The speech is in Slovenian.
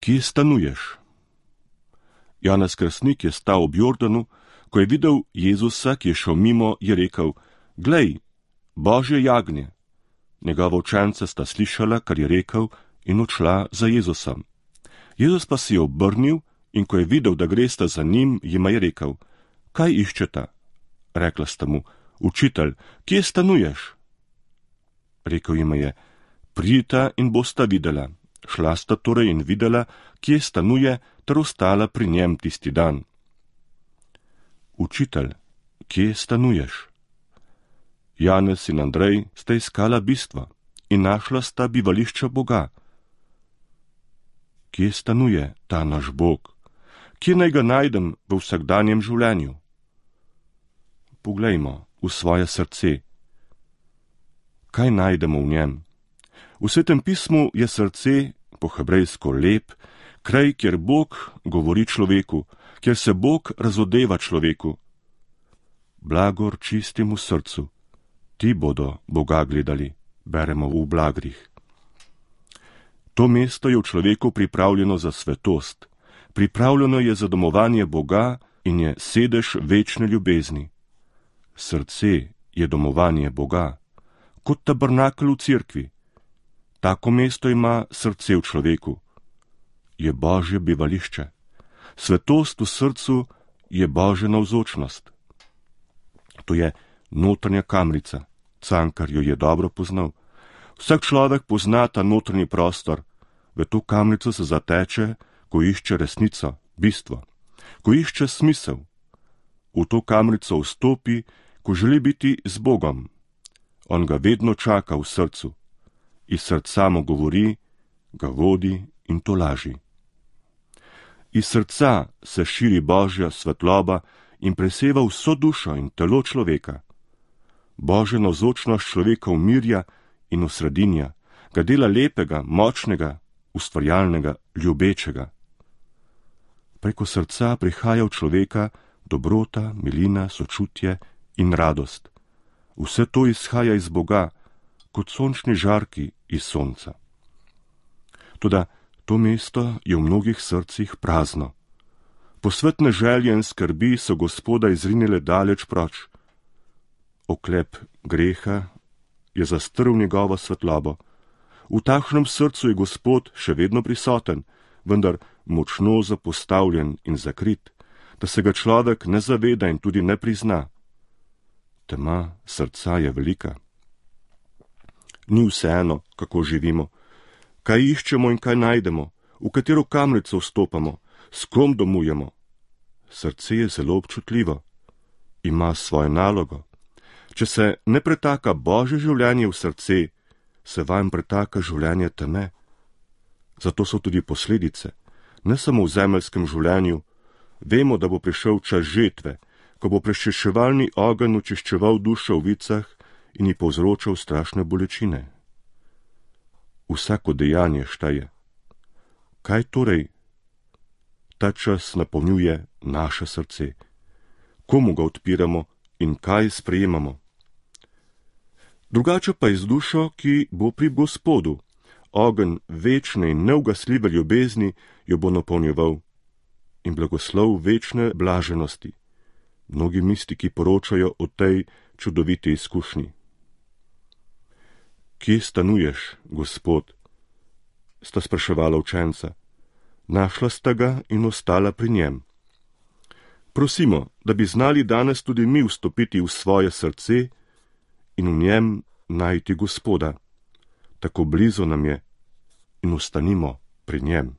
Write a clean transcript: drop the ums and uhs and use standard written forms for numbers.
Kje stanuješ? Janez Krstnik je stal ob Jordanu, ko je videl Jezusa, ki je šel mimo, je rekel: Glej, Božje jagnje. Njegova učenca sta slišala, kar je rekel, in odšla za Jezusom. Jezus pa se je obrnil in ko je videl, da gresta za njim, jima je rekel: Kaj iščeta? Rekla sta mu: Učitelj, kje stanuješ? Rekel jima je: Pridita in bosta videla. Šla sta torej in videla, kje stanuje, ter ostala pri njem tisti dan. Učitelj, kje stanuješ? Janez in Andrej sta iskala bistvo in našla sta bivališče Boga. Kje stanuje ta naš Bog? Kje naj ga najdem v vsakdanjem življenju? Poglejmo v svoje srce. Kaj najdemo v njem? V Svetem pismu je srce, po hebrejsko lep, kraj, kjer Bog govori človeku, kjer se Bog razodeva človeku. Blagor čistemu srcu, ti bodo Boga gledali, beremo v Blagrih. To mesto je v človeku pripravljeno za svetost, pripravljeno je za domovanje Boga in je sedež večne ljubezni. Srce je domovanje Boga, kot tabernakel v cerkvi. Tako mesto ima srce v človeku. Je Božje bivališče. Svetost v srcu je Božja navzočnost. To je notranja kamrica, Cankar jo je dobro poznal. Vsak človek pozna ta notranji prostor. V to kamrico se zateče, ko išče resnico, bistvo, ko išče smisel. V to kamrico vstopi, ko želi biti z Bogom. On ga vedno čaka v srcu. Iz srca mu govori, ga vodi in tolaži. Iz srca se širi Božja svetloba in preseva vso dušo in telo človeka. Božja navzočnost človeka umirja in osredinja, ga dela lepega, močnega, ustvarjalnega, ljubečega. Preko srca prihaja v človeka dobrota, milina, sočutje in radost. Vse to izhaja iz Boga, kot sončni žarki iz sonca. Toda to mesto je v mnogih srcih prazno. Posvetne želje in skrbi so Gospoda izrinile daleč proč. Oklep greha je zastrl njegovo svetlobo. V takšnem srcu je Gospod še vedno prisoten, vendar močno zapostavljen in zakrit, da se ga človek ne zaveda in tudi ne prizna. Tema srca je velika. Ni vseeno, kako živimo, kaj iščemo in kaj najdemo, v katero kamrico vstopamo, s kom domujemo. Srce je zelo občutljivo, ima svojo nalogo. Če se ne pretaka Božje življenje v srce, se vanj pretaka življenje teme. Zato so tudi posledice, ne samo v zemeljskem življenju. Vemo, da bo prišel čas žetve, ko bo prečeševalni ogenj očiščeval dušo v vicah in ji povzročal strašne bolečine. Vsako dejanje šteje. Kaj torej ta čas napolnjuje naše srce? Komu ga odpiramo in kaj sprejemamo? Drugače pa je z dušo, ki bo pri Gospodu. Ogenj večne in neugasljive ljubezni jo bo napolnjeval in blagoslov večne blaženosti. Mnogi mistiki poročajo o tej čudoviti izkušnji. Kje stanuješ, Gospod? Sta spraševala učenca. Našla sta ga in ostala pri njem. Prosimo, da bi znali danes tudi mi vstopiti v svoje srce in v njem najti Gospoda. Tako blizu nam je in ostanimo pri njem.